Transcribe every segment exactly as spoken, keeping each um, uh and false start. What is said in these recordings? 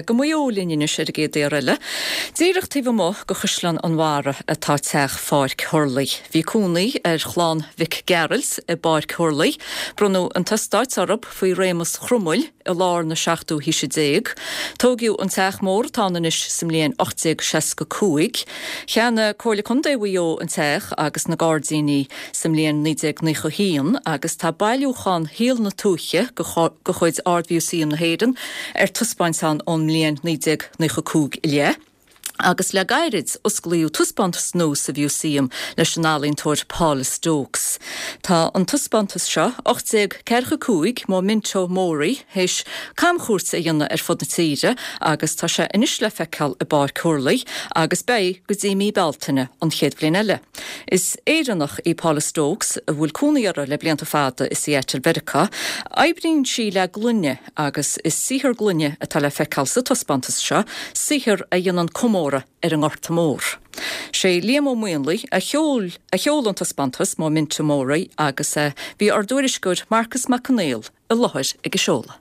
Go Maigh Eo linn anois ar an gcéad aoir eile. Díreach taobh amuigh de Chaisleán an Bharraigh atá teach Pháirc Thurlaigh. Bhí cónaí ar chlann Mhic Gearailt i bPáirc Thurlaigh. Bronnadh an t-eastát orthu faoi réimeas Chromail i lár na seachtú haoise déag. Tógadh an teach mór atá ann anois sa mbliain ocht déag seasca cúig. Cheannaigh Comhairle Contae Mhaigh Eo an teach agus na gairdíní sa mbliain naoi déag naocha haon agus tá bailiúchán shaol na tuaithe de chuid Ard-Mhúsaem na hÉireann ar taispeáint ann ón mbliain naoi déag naocha cúig i leith. Agus le gairid osclaíodh taispeántas nua sa mhúsaem leis an ealaíontóir Paula Stokes. Tá an taispeántas seo, ocht déag ceathracha cúig, Memento Mori, théis camchuairt a dhéanamh ar fud na tíre agus tá sé anois le feiceáil i bPáirc Thurlaigh agus beidh go dtí mí Bealtaine an chéad bhliain eile. Is Éireannach í Paula Stokes a bhfuil cónaí uirthi le blianta fada i Seattle Mheiriceá. Oibríonn sí le gloine agus is saothar gloine atá le feiceáil sa taispeántas seo, saothar a dhéanann comóradh ar an nGorta Mór. Sé Liam Ó Maonlaí a sheol a sheol an taispeántas Memento Mori agus bhí ár dtuairisceoir Marcas Mac Conghail i láthair ag an seoladh.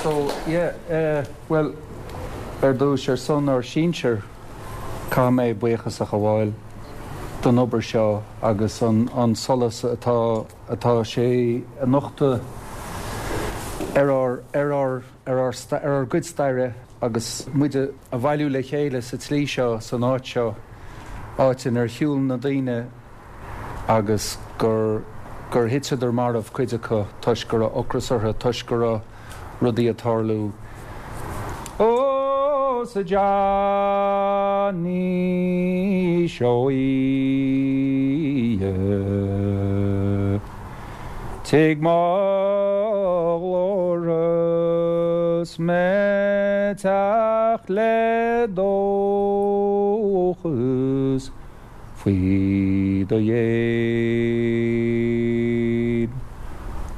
So, yeah, uh, well, ar dtús ar son ár sinsear caithfidh mé buíochas a ghabháil don obair seo agus an, an solas atá, atá sé a nochtadh ar ár, ar ár, ar ár, ar ár gcuid staire agus muid a bhailiú le chéile sa tslí seo, san áit seo, áit inar shiúil na daoine agus gur, gur thiteadar marbh cuid acu toisc go raibh ocras orthu, toisc go raibh rudaí ag tarlú. Ó sa Johnny Seoighe Tig mo ghlór 's mé teacht le dóchas faoi do dhéin.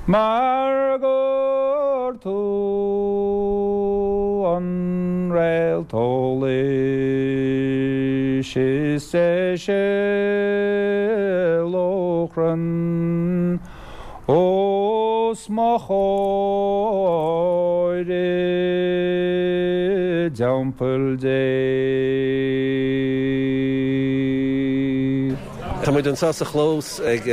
Mar gur tú an réalt eolais is deise lóchrann os mo chomhair i dTeampall Dé. Tá muid anseo sa chlós ag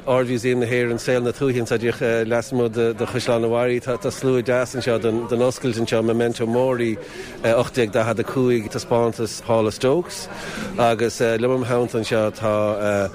Ard-Mhúsaem na hÉireann, Saol na Tuaithe anseo díreach lasmuigh de Chaisleán an Bharraigh. Tá slua deas anseo don oscailt anseo, Memento Mori ocht déag daichead a cúig, taispeántas Paula Stokes agus liom im theannta anseo tá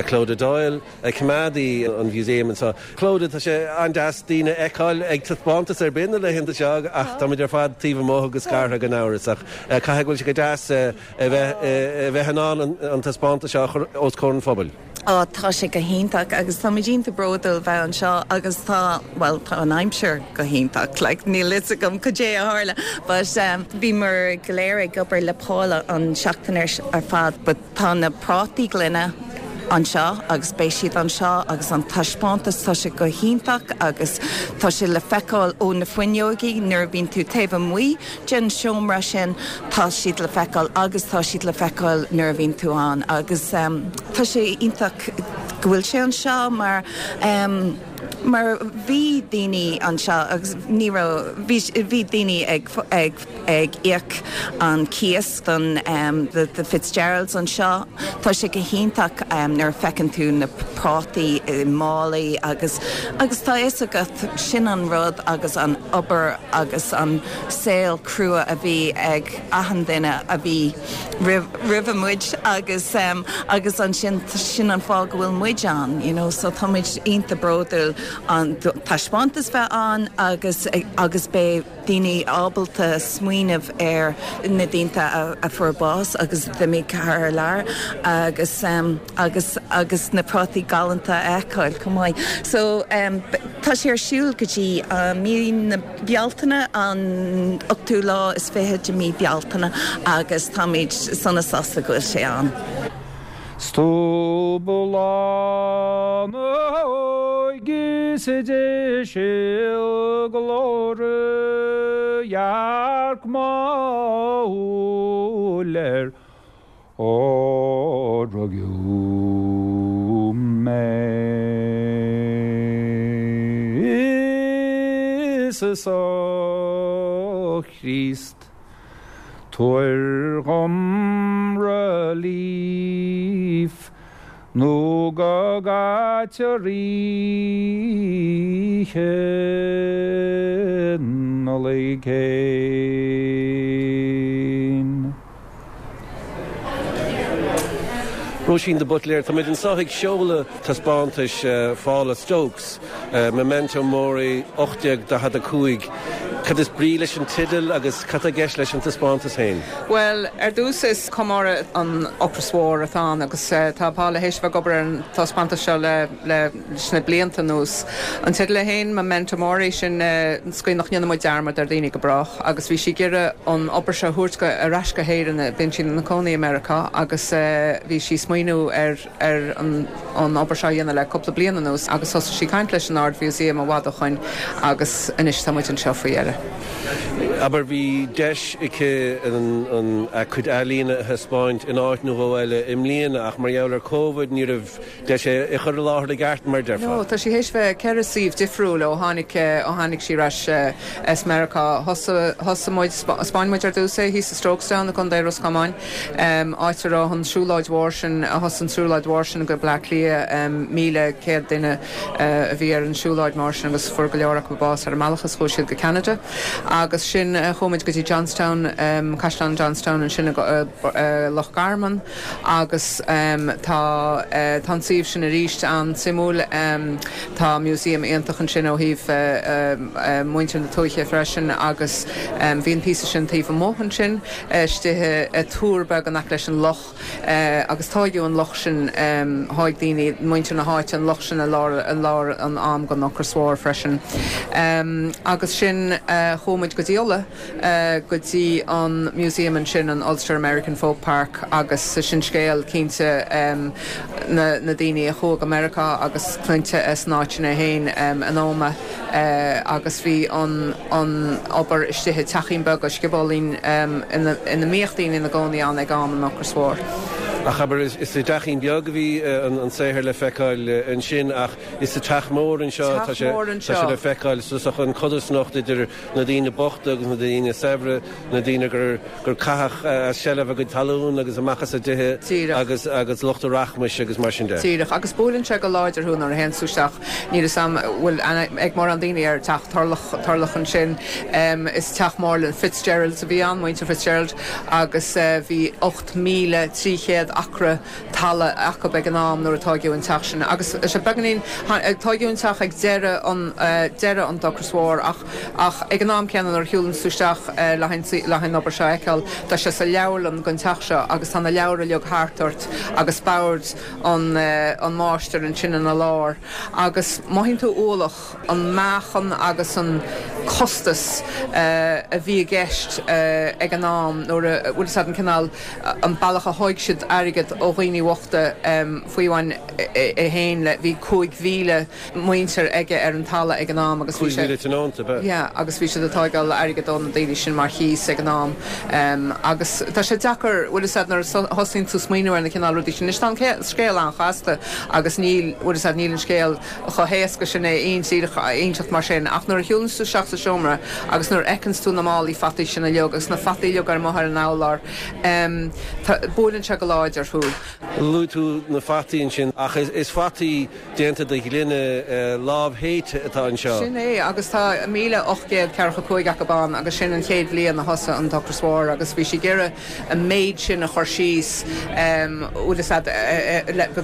Clodagh Doyle, coimeádaí an mhúsaeim anseo. Clodagh, tá sé an-deas daoine a fheiceáil ag taispeántas ar bith na laethanta seo ach táimid ar fad taobh amuigh agus scartha gan amhras ach caithfidh go bhfuil sé go deas a bheith in ann an taispeántas seo a chur os comhair an phobail. Ó, tá sé go hiontach agus táimid iontach bródúil bheith anseo agus tá, bhuel, tá an aimsir go hiontach, like, níl fhios agam cad é a tharla, but um, bhíomar go léir ag obair le Paula an seachtain ar fad, but tá na prátaí gloine anseo agus beidh siad anseo agus an taispeántas tá sé go hiontach agus tá sé le feiceáil ó na fuinneogaí nuair a bhíonn tú taobh amuigh den seomra sin tá siad le feiceáil agus tá siad le feiceáil nuair a bhíonn tú ann agus um, tá sé iontach go bhfuil sé anseo mar um, mar bhí daoine anseo agus ní raibh bhí daoine ag ag ag íoc an cíos don um, the, the Fitzgeralds anseo. Tá sé go hiontach um, nuair a feiceann tú na prátaí i málaí agus agus tá fhios agat sin an rud agus an obair agus an saol crua a bhí ag achan duine a bhí roimh muid agus um, agus ansin sin an fáth go bhfuil muid ann, you know, so tá muid iontach bródúil an taispeántas bheith ann agus agus beidh daoine ábalta smaoineamh ar na daoine a, a fuair bás agus d'imigh thar lear agus um, agus agus na prátaí galánta a fheiceáil chomh maith. So um, tá sé ar siúl go dtí uh, mí na Bealtaine an ochtú lá is fiche de mí Bealtaine agus táimid sona sásta go bhfuil sé ann. Stúbalánóige sé sé glóre Jark máler ó rugadh mé Is a Chríost Tabhair dhom relief nó go gcaitear Oíche Nollag fhéin. Róisín de Buitléir, Tá muid anseo ag seoladh taispeántais uh, Phaula Stokes, uh, Memento Mori ocht déag daichead a cúig. Cad is brí leis an teideal agus cad atá i gceist leis an taispeántas féin. Well, ar dtús is comóradh an Ocras Mhór atá ann agus uh, tá Paula théis bheith ag obair ar an taispeántas seo le le na blianta anuas. An teideal féin Memento Mori sin uh, scaoin nach ndéanfaidh muid dearmad ar daoine go brách agus bhí sí ag iarraidh an obair seo a thabhairt go ar ais go hÉirinn bíonn sí ina cónaí i Meiriceá agus uh, bhí sí smaoineamh ar ar an, an obair seo dhéanamh le cúpla bliain anuas agus thosaigh sí caint leis an Ard-Mhúsaem i bhfad ó shin agus anois tá muid anseo faoi dheireadh. Aber bhí deis aici an, an a cuid ealaíne a thaispeáint in áit nó dhó eile i mbliana ach mar gheall ar Covid ní raibh deis é a chur i láthair i gceart mar déarfá. No, tá sí théis bheith ceithre suíomh difriúil ó tháinig ó tháinig sí ar ais as Meiriceá thosaigh muid thaispeáin muid ar dtús é thíos i Strokestown i gContae Ros Comáin áit a raibh an siúlóid mhór sin a thosaigh an siúlóid mhór sin go Bleá Cliath míle céad duine a bhí ar an siúlóid mar sin agus fuair go leor acu bás ar an mbealach is chuaigh siad go Canada. Agus sin chuaigh muid go dtí Johnstown um, Caisleán Johnstown ansin uh, uh, Loch Garman agus um, tá uh, tá suíomh sin arís an-suimiúil um, tá museum iontach ansin ó thaobh uh, uh, muintir na tuaithe freisin agus um, bhí an píosa sin taobh amuigh ansin istigh i túr beag in aice leis an loch uh, agus tógadh an loch sin um, thóg daoine muintir na háite an loch sin i lár i lár an am den Ocras Mhór freisin. Um, agus sin uh, chuaigh muid go dtí Uladh uh, go dtí an museum ansin an Ulster American Folk Park agus sin scéal cinnte um, na, na daoine a chuaigh go Meiriceá agus cluinte as an áit sin féin um, an Ómaigh uh, agus bhí an, an obair istigh i teachín beag sciobóilín um, ina, ina mbíodh daoine ina gcónaí ann ag am an Ocras Mhór. Ach aber is, is i dteachín beag a bhí an, an saothar le feiceáil ansin ach is sa teach mór anseo tá sé le feiceáil so an codarsnacht idir na daoine bochta agus na daoine saibhre na daoine gur gur caitheadh as seilbh a gcuid talún agus amach as a dtithe agus agus lucht rachmais agus mar sin de. Díreach agus buaileann sé go láidir thú nuair a théann tú isteach níl a fhios agam bhfuil ag mórán daoine ar teach Thurlough Thurlough ansin um, is teach mór le Fitzgerald a bhí ann muintir Fitzgerald agus uh, bhí ocht míle trí chéad acra talaimh acu ag an am nuair a tógadh an teach sin agus sé beagáinín tógadh an teach ag deireadh an uh, deireadh an Ocras Mhór ach ach ag an am céanna nuair a shiúlann tú isteach uh, le haghaidh obair seo a fheiceáil tá sé sa leabharlann den teach seo agus tá na leabhair uilig thart ort agus bord an uh, an máistir ansin ina lár agus mothaíonn tú ualach an meáchan agus an costas uh, a bhí i gceist uh, ag an am nuair a bhfuil an cineál an bealach a thóg siad airgead ó dhaoine bochta um, faoi bhain é féin le bhí cúig mhíle muintir aige ar an talamh ag an am agus bhí sé yeah, agus bhí sé ag tógáil airgead ó na daoine sin mar chíos ag an am um, agus tá sé deacair bhfuil nuair a thosaíonn tú smaoineamh ar na cineál rudaí sin tá scéal an-chasta agus níl bhfuil níl an scéal chomh héasca sin é aon inseacht mar sin ach nuair a shiúlann tú isteach sa seomra agus nuair a fheiceanns tú na málaí fataí sin uilig agus na fataí uilig ar amuigh ar an urlár, buaileann sé go láidir thú. Luaigh tú na fataí ansin ach is fataí déanta de ghloine lámhshéidte atá anseo. Sin é agus tá míle ocht gcéad ceathracha cúig acu ann agus sin an chéad bhliain a thosaigh an Ocras Mhór agus bhí sí ag iarraidh an méid sin a chur síos bhfuil fhios a'd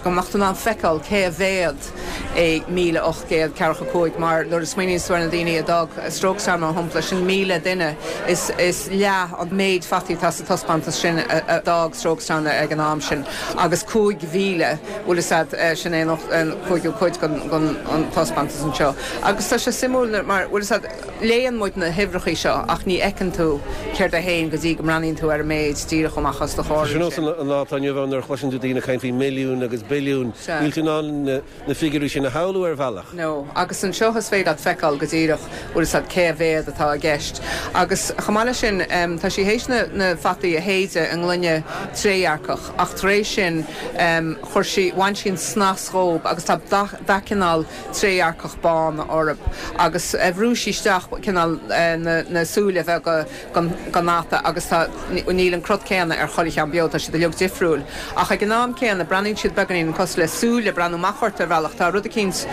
go mbeadh tú in ann feiceáil cé a mhéad é míle ocht gcéad ceathracha cúig mar nuair a smaoiníonn tú ar na daoine a d'fhág Strokestown mar shampla sin míle duine is is leath an méid fataí atá sa taispeántas sin a d'fhág Strokestown ag an am sin agus cúig mhíle bhfuil fhios a'd sin é an cúigiú cuid den an taispeántas anseo. Agus tá sé suimiúil mar bhfuil fhios a'd léann muid na huimhreacha seo ach ní fheiceann tú céard é féin go dtí go mbreathnaíonn tú ar an méid díreach amach os do chomhair. Sin nós an lá atá inniu ann nuair a chloiseann tú daoine ag caint faoi milliún agus billiún, níl tú in ann na figiúirí sin a shamhlú ar bhealach. No, agus anseo is féidir leat feiceáil go díreach bhfuil fhios a'd cé a mhéad atá i gceist. Agus chomh maith leis sin tá sí théis na na fataí a shéideadh i ngloine trédhearcach ach tar éis sin chuir sí, bhain sí an snas dhób agus tá dath dath cineál trédhearcach bán orthu agus bhrú sí isteach cineál na na súile bheaga den den fhata agus tá níl an crot céanna ar chuile cheann beo, tá siad uilig difriúil. Ach ag an am céanna breathnaíonn siad beagáinín cosúil le súile ag breathnú amach ort ar bhealach. Tá rud eicínt,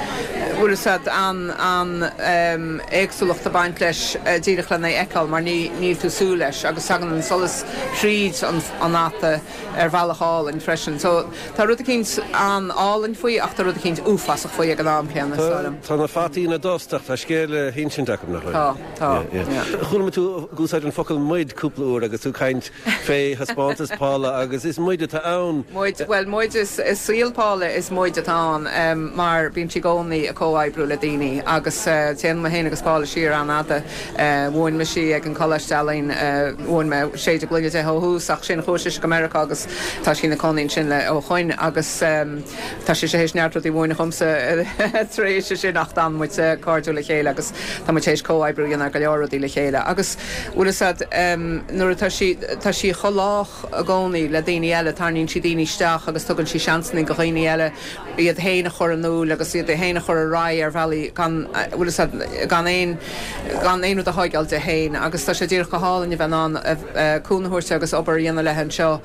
bhfuil fhios a'd, an an éagsúlacht ag baint leis díreach lena fheiceáil mar ní níl tú súil leis agus tagann an solas thríd an an fhata ar bhealach álainn freisin. So tá rud eicínt an-álainn faoi ach tá rud eicínt uafásach faoi ag an am céanna, is dóigh liom. Tá na fataí ina dtost ach tá scéal le hinsint acu, nach bhfuil? Tá, tá, yeah. Chuala mé tú ag úsáid an focal 'muid' cúpla uair agus tú ag caint fé thaispeántas Paula agus is muid atá ann. Muid, bhuel muid is i saol Paula is muid atá ann mar bíonn sí i gcónaí ag comhoibriú le daoine agus téann mé féin agus Paula siar an-fhada. Mhúin mise í ag an Coláiste Ealaíon, mhúin mé séideadh gloine di ó thús ach sin chuaigh sise go Meiriceá agus tá sí ina cónaí ansin le ó shoin agus tá sise théis neart rudaí a mhúineadh dhomsa tar éis sin ach d'fhan muid cairdiúil le chéile agus tá muid théis comhoibriú a dhéanamh ar go leor rudaí le chéile agus bhfuil fhios a'd nuair atá sí tá sí chomh lách i gcónaí le daoine eile tarraingíonn sí daoine isteach agus tugann sí seansanna do dhaoine eile iad féin a chur in iúl agus iad féin a chur ar aghaidh ar bhealaí gan bhfuil fhios a'd gan aon gan aon rud a thógáil di féin agus tá sé díreach go hálainn a bheith in ann cúnamh a thabhairt agus obair a dhéanamh léi anseo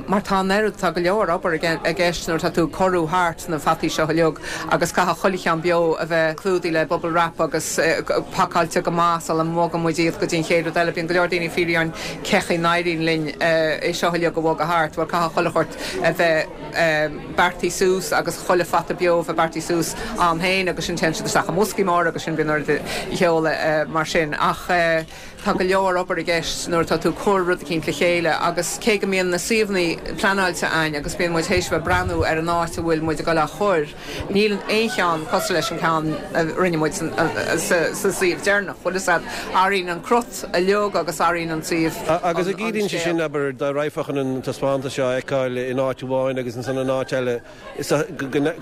mar tá an oiread tá go leor obair i gceist nuair atá tú ag corrú thart na fataí seo uilig agus caithfidh chuile cheann beo a bheith clúdaithe le bubble wrap agus pacáilte go maith sula mbogann muid iad go dtí an chéad rud eile. Bíonn go leor daoine ag fiafraí orainn cén chaoi a n-éiríonn linn é seo uilig a bhogadh thart. Bhuel caithfidh chuile shórt a bheith beartaithe suas agus chuile fata beo a bheith beartaithe suas ann féin agus sin téann siad isteach i mboscaí móra agus sin bíonn orainn a sheoladh mar sin. Ach tá go leor obair i gceist nuair atá tú ag cur rud eicínt le chéile agus cé go mbíonn na suíomhanna pleanáilte againn agus bíonn muid théis bheith breathnú ar an áit a bhfuil muid ag dul á chur, níl aon cheann cosúil leis an ceann a rinne muid sa suíomh deireanach. Bhfuil fhios a'd, athraíonn an crut uilig agus athraíonn an suíomh Agus an an gciallaíonn sé scéal. sin, abair, dá raghfá chun an taispeántas seo a fheiceáil in áit amháin agus ansan in áit eile,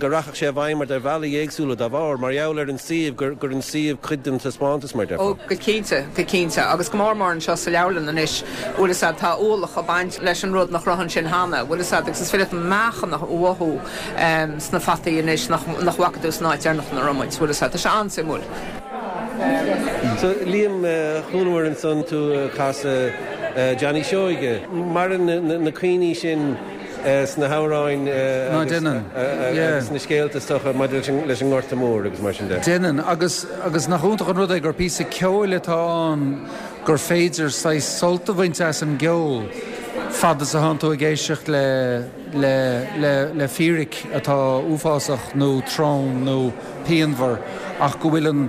go rachadh sé i bhfeidhm ort ar bhealaí éagsúla dá bharr, mar gheall ar an suíomh, gur gur an suíomh cuid den taispeántas, mar Ó, déarfá. go cinnte, go cinnte. Agus go mór mór anseo sa leabharlann anois, bhfuil fhios a'd, tá ualach ag baint leis an rud nach raibh ansin cheana, bhfuil fhios a'd, agus is féidir leat meáchan a mhothú sna fataí anois nach nach bhfaca tú san áit deireanach ina raibh muid, bhfuil fhios a'd. Tá sé an-suimiúil. So, Liam, chualamar ansan tú ag casadh Johnny Seoige. Maireann na cuimhní sin sna hamhráin agus na scéalta is dócha maidir leis an nGorta Mór agus mar sin de. Déanann, agus agus nach iontach an rud é gur píosa ceoil atá ann gur féidir saghas sult a bhaint as an gceol fad is atánn tú ag éisteacht le le le le fíric atá uafásach nó trom nó pianmhar ach go bhfuil an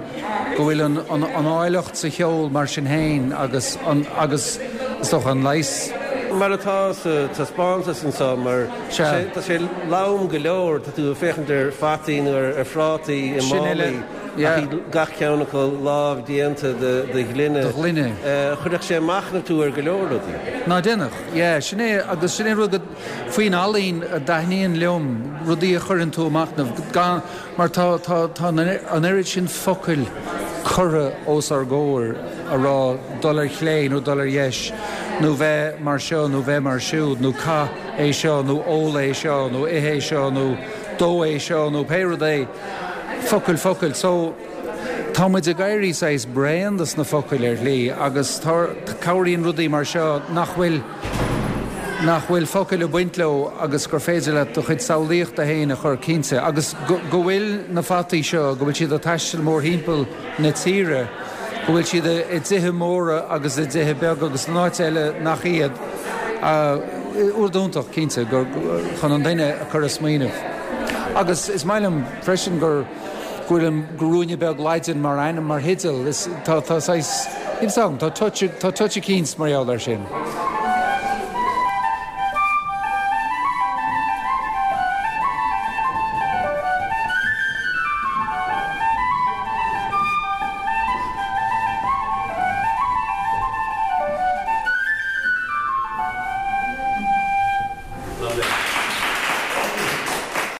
go bhfuil an an an áilleacht sa cheol mar sin féin agus an agus is dócha an leigheas. Mar atá sa taispeántas anseo mar tá sé lom go leor, tá tú ag féachaint ar fataí nó ar phrátaí i málaí ach gach ceann acu lámh déanta de ghloine. De ghloine. Chuirfeadh sé machnamh tú ar go leor rudaí. Ná déanfadh, yeah, sin é agus sin é rud faoin ealaín a dtaitníonn liom, rudaí a chuireann tú ag machnamh gan mar tá tá tá an oiread sin focail curtha os ár gcomhair a rá dul ar chlé nó dul ar dheis nó bheith mar seo nó bheith mar siúd nó caith é seo nó ól é seo nó ith é seo nó dó é seo nó pé rud é focail focail so Tá muid ag éirí saghas bréan dos na focail ar shlí agus cabhraíonn rudaí mar seo nach bhfuil nach bhfuil focail ag baint leo agus gur féidir leat do chuid samhlaíochta féin a chur cinnte agus go bhfuil na fataí seo go bhfuil siad ag taisteal mórthimpeall na tíre, go bhfuil siad i dtithe móra agus i dtithe beaga agus in áit eile nach iad rud iontach cinnte gur chun an duine a chur ag smaoineamh. Agus is maith liom freisin gur go bhfuil an Ruainne Beag Laidin mar ainm mar theideal tá tá tá touch eicínt mar gheall air sin.